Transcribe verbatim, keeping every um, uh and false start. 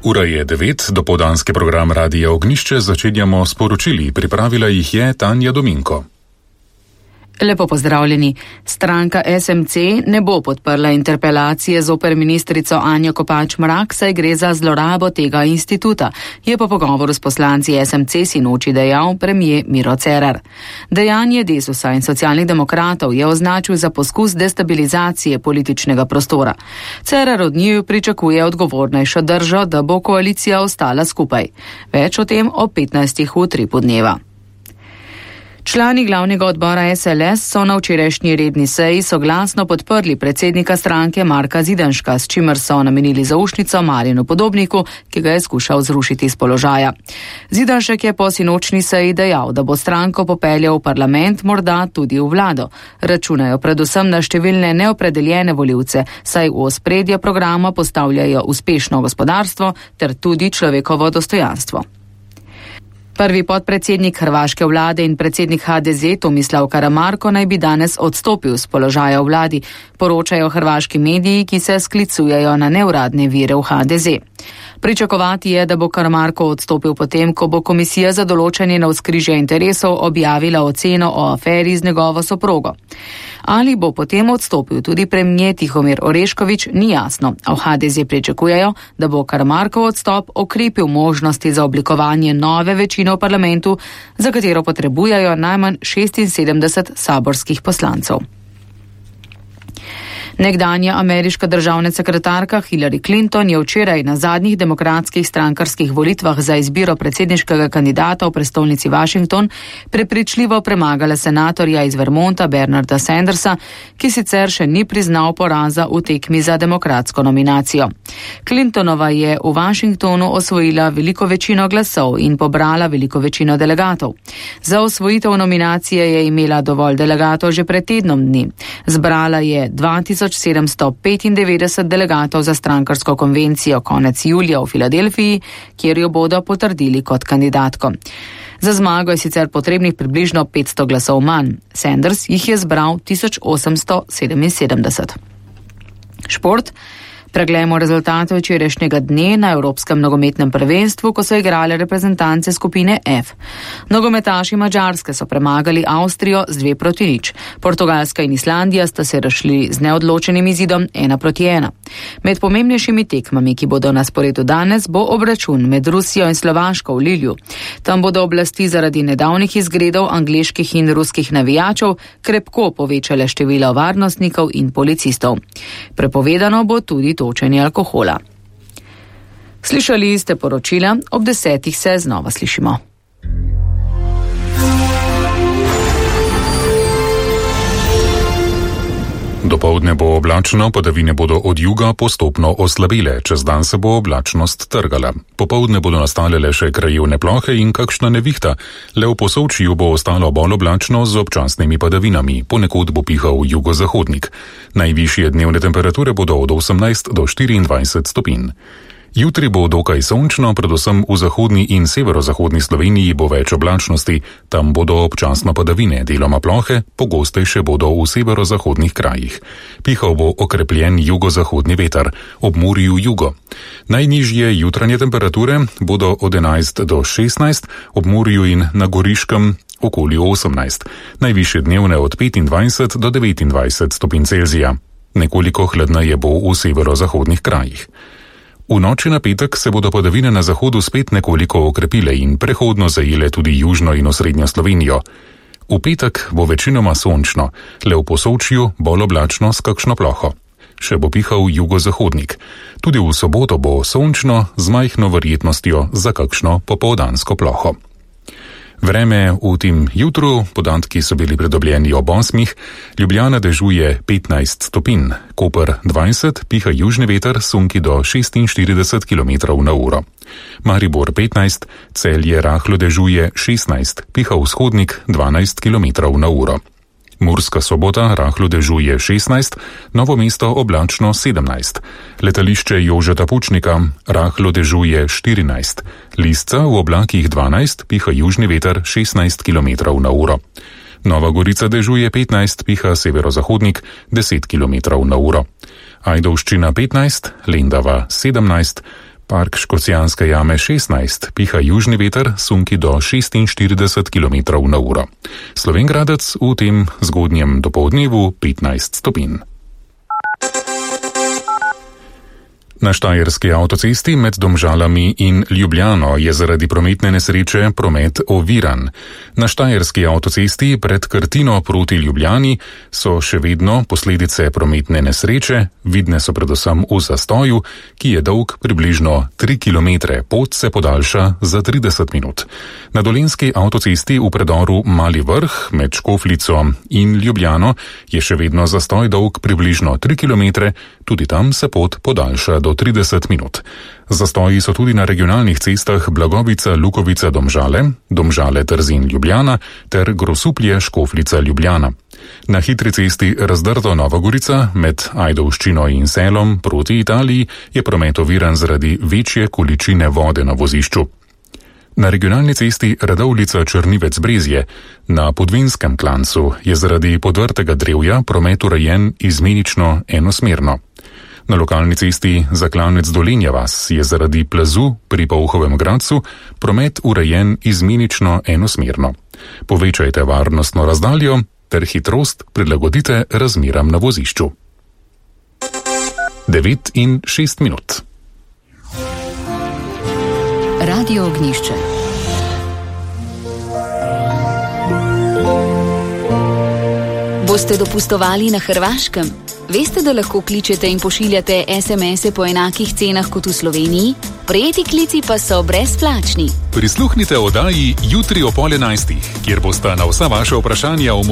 Ura je devet, dopoldanski program Radia Ognišče začenjamo s poročili. Pripravila jih je Tanja Dominko. Lepo pozdravljeni. Stranka S M C ne bo podprla interpelacije zoper ministrico Anjo Kopač Mrak, saj gre za zlorabo tega instituta, je po pogovoru s poslanci S M C sinoči dejal premier Miro Cerar. Dejanje Desusa in socialnih demokratov je označil za poskus destabilizacije političnega prostora. Cerar od njiju pričakuje odgovornejšo držo, da bo koalicija ostala skupaj. Več o tem ob petnajstih v tripu dneva. Člani glavnega odbora S L S so na včerajšnji redni seji soglasno podprli predsednika stranke Marka Zidanška, s čimer so namenili zaušnico Marjanu Podobniku, ki ga je skušal zrušiti z položaja. Zidanšek je po sinočni seji dejal, da bo stranko popeljal v parlament, morda tudi v vlado. Računajo predvsem na številne neopredeljene volivce, saj v ospredje programa postavljajo uspešno gospodarstvo ter tudi človekovo dostojanstvo. Prvi podpredsednik hrvaške vlade in predsednik H D Z Tomislav Karamarko naj bi danes odstopil z položaja v vladi, poročajo hrvaški mediji, ki se sklicujejo na neuradne vire v H D Z. Pričakovati je, da bo Karamarko odstopil potem, ko bo komisija za določanje navzkrižja interesov objavila oceno o aferi z njegovo soprogo. Ali bo potem odstopil tudi premier Tihomir Orešković, ni jasno, a v H D Z pričakujejo, da bo Karamarkov odstop okrepil možnosti za oblikovanje nove večine v parlamentu, za katero potrebujejo najmanj šestinsedemdeset saborskih poslancev. Nekdanja ameriška državna sekretarka Hillary Clinton je včeraj na zadnjih demokratskih strankarskih volitvah za izbiro predsedniškega kandidata v prestolnici Washington prepričljivo premagala senatorja iz Vermonta Bernarda Sandersa, ki sicer še ni priznal poraza v tekmi za demokratsko nominacijo. Clintonova je v Washingtonu osvojila veliko večino glasov in pobrala veliko večino delegatov. Za osvojitev nominacije je imela dovolj delegatov že pred tednom dni. Zbrala je dva tisoč sedemsto petindevetdeset delegatov za strankarsko konvencijo konec julija v Filadelfiji, kjer jo bodo potrdili kot kandidatko. Za zmago je sicer potrebnih približno petsto glasov manj. Sanders jih je zbral tisoč osemsto sedeminsedemdeset. Šport. Preglejmo rezultate včerajšnjega dne na Evropskem nogometnem prvenstvu, ko so igrale reprezentance skupine F. Nogometaši Madžarske so premagali Avstrijo z dve proti nič. Portugalska in Islandija sta se razšli z neodločenim izidom ena proti ena. Med pomembnejšimi tekmami, ki bodo na sporedu danes, bo obračun med Rusijo in Slovaško v Lilju. Tam bodo oblasti zaradi nedavnih izgredov angleških in ruskih navijačev krepko povečale število varnostnikov in policistov. Prepovedano bo tudi točenje alkohola. Slišali ste poročila, ob desetih se znova slišimo. Dopoldne bo oblačno, padavine bodo od juga postopno oslabile, čez dan se bo oblačnost trgala. Popoldne bodo nastale le še krajevne plohe in kakšna nevihta, le v Posavčju bo ostalo bolj oblačno z občasnimi padavinami, ponekod bo pihal jugozahodnik. Najvišje dnevne temperature bodo od osemnajst do štiriindvajset stopinj. Jutri bo dokaj sončno, predvsem v zahodni in severozahodni Sloveniji bo več oblačnosti, tam bodo občasno padavine, deloma plohe, pogostejše bodo v severozahodnih krajih. Pihal bo okrepljen jugozahodni veter, ob Murju jugo. Najnižje jutranje temperature bodo od enajst do šestnajst, ob Murju in na Goriškem okoli osemnajst, najvišje dnevne od petindvajset do devetindvajset stopinj Celzija. Nekoliko hladneje bo v severozahodnih krajih. V noči na petek se bodo padavine na zahodu spet nekoliko okrepile in prehodno zajele tudi južno in osrednjo Slovenijo. V petek bo večinoma sončno, le v Posavčju bolj oblačno s kakšno ploho. Še bo pihal jugozahodnik. Tudi v soboto bo sončno z majhno verjetnostjo za kakšno popoldansko ploho. Vreme v tem jutru, podatki so bili pridobljeni ob osmih, Ljubljana dežuje petnajst stopinj, Koper dvajset, piha južni veter, sunki do šestinštirideset kilometrov na uro. Maribor petnajst, Celje rahlo dežuje šestnajst, piha vzhodnik dvanajst kilometrov na uro. Murska Sobota rahlo dežuje šestnajst, Novo mesto oblačno sedemnajst. Letališče Jožeta Pučnika rahlo dežuje štirinajst. Lisca v oblakih dvanajst, piha južni veter šestnajst kilometrov na uro. Nova Gorica dežuje petnajst, piha severozahodnik deset kilometrov na uro. Ajdovščina petnajst, Lendava sedemnajst, Park Škocjanske jame šestnajst, piha južni veter, sunki do šestinštirideset kilometrov na uro. Slovenj Gradec v tem zgodnjem dopoldnevu petnajst stopinj. Na štajerski avtocesti med Domžalami in Ljubljano je zaradi prometne nesreče promet oviran. Na štajerski avtocesti pred Krtino proti Ljubljani so še vedno posledice prometne nesreče, vidne so predvsem v zastoju, ki je dolg približno tri kilometre, pot se podaljša za trideset minut. Na dolenjski avtocesti v predoru Mali Vrh med Škofljico in Ljubljano je še vedno zastoj dolg približno tri kilometre, tudi tam se pot podaljša do trideset minut. Zastoji so tudi na regionalnih cestah Blagovica, Lukovica, Domžale, Domžale, Trzin, Ljubljana ter Grosuplje, Škofljica, Ljubljana. Na hitri cesti Razdrto, Nova Gorica med Ajdovščino in Selom proti Italiji je promet oviran zaradi večje količine vode na vozišču. Na regionalni cesti Radovljica, Črnivec, Brezje na Podvinskem klancu je zaradi podvrtega drevja promet urejen izmenično enosmerno. Na lokalni cesti Zaklanec Dolenja vas je zaradi plazu pri Polhovem Gradcu promet urejen izmenično enosmerno. Povečajte varnostno razdaljo ter hitrost prilagodite razmeram na vozišču. devet in šest minut. Radio Ognjišče. Boste dopustovali na Hrvaškem? Veste, da lahko kličete in pošiljate es em ese po enakih cenah kot v Sloveniji? Prejeti klici pa so brezplačni. Prisluhnite oddaji jutri o pol enajstih, kjer bosta na vsa vaša vprašanja o mobilnosti